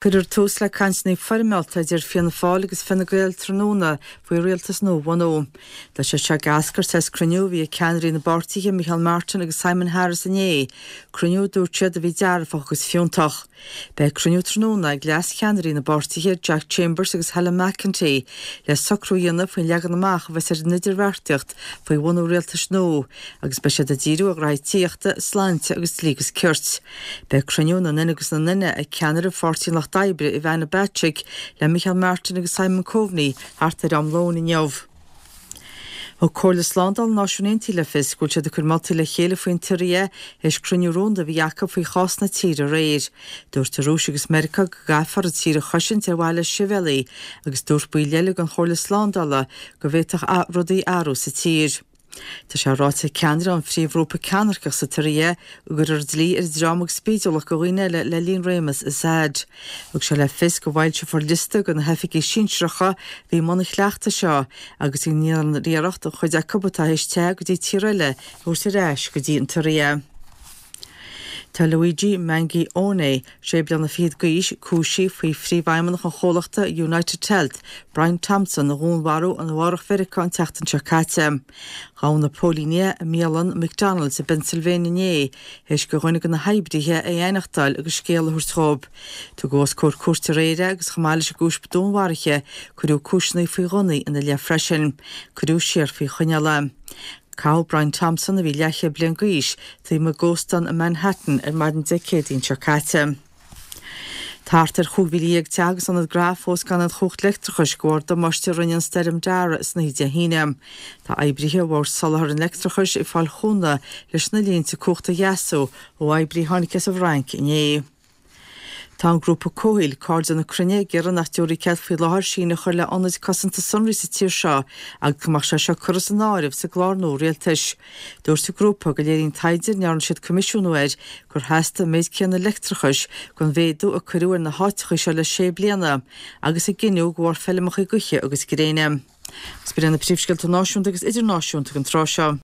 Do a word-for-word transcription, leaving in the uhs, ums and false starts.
Cuirfear tús le cainteanna foirmeálta idir Fianna Fáil agus Fine Gael tráthnóna faoi rialtas nua a bhunú. Tá sé seo ag eascairt as cruinniú a bhí ag ceannairí na bpáirtithe Micheál Martin agus Simon Harris inné, cruinniú a dúirt siad a bhí dearfach agus fiúntach. Beidh cruinniú tráthnóna ag leas-cheannairí na bpáirtithe Jack Chambers agus Helen McEntee le socrú a dhéanamh faoin leagan amach a bheas ar an idirbheartaíocht faoi bhunú rialtais nua agus beidh siad ag díriú ar ghraithí tithíochta, sláinte agus dlí agus cirt. Beidh cruinniú na nduine agus na nduine ag ceannaire Pháirtí an Lucht Oibre Ivana Bacik le Micheál Martin agus Simon Coveney thart ar am lóin inniu. Thug Comhairle Slándála na Náisiún Aontaithe le fios go bhfuil siad ag cur moltaí le chéile faoin tSiria théis cruinniú rúnda a bhí acu faoi chás na tíre aréir. Dúirt an Rúis agus Meiriceá go gcaithfear an tír a chosaint ar mhaithe le sibhialaigh agus dúirt baill eile den Chomhairle Slándála go bhféadfadh rudaí athrú sa tír. Tá sé ráite ag ceannaire an phríomhghrúpa ceannairceach sa tSiria go gcuirfear dlí ar dhream agus spídiúlacht do dhaoine eile le linn réimeas Assad. Thug sé le fios go bhfoilseofar liosta de na hoifigigh sinsearacha a bhí i mbun an chleachtais seo agus go ndéanfar iarracht an chuid acu atá théis teitheadh go dtí tír eile a thabhairt ar ais go dtí an tSiria. Tá Luigi Mangione, sé bliana fichead d'aois, cúisithe faoi phríomhfheidhmeannach an chomhlachta United Health, Brian Thompson, a dhúnmharú in Nua-Eabhrac Mheiriceá an tseachtain seo caite. Ghabh na póilíní é i mbialann McDonald's i bPennsylvania inné, théis do dhuine de na hoibrithe é a aithneachtáil agus scéala a thabhairt dóibh. Tugadh os comhair cúirte aréir é agus chomh maith leis an gcúis dúnmharaithe, cuireadh cúiseanna faoi ghunnaí ina leith freisin. Cuireadh siar faoi choinneáil é. Caitheadh Brian Thompson, a bhí leathchéad bliain d'aois, taobh amuigh d'óstán i Manhattan ar maidin Dé Céadaoin seo caite. Tá thart ar chúig mhíle dhéag teach agus ionad gnó fós gan aon chumhacht leictreachais de bharr damáiste a rinne an stoirm Darragh san oíche Dé hAoine. Tá oibrithe Bhord Soláthair an Leictreachais ag fáil chúnamh leis na línte cumhachta a dheasú ó oibrí a tháinig as an bhFrainc inné. Tá an grúpa comhshaoil, Cairde na Cruinne, ag iarraidh nach dtabharfaí cead faoi láthair síneadh a chur le hionaid cosanta sonraí sa tír seo agus go mbeadh sé seo curtha san áireamh sa gclár nua rialtais. Dúirt an grúpa go léiríonn taighde a ndearna siad coimisiúnú air gur theastaigh an méid céanna leictreachais don mhéadú a cuireadh ar na háiteacha seo le sé bliana agus a gineadh de bharr feirmeacha gaoithe agus gréine. Agus b'in iad na príomhscéalta náisiúnta agus idirnáisiúnta don tráth seo.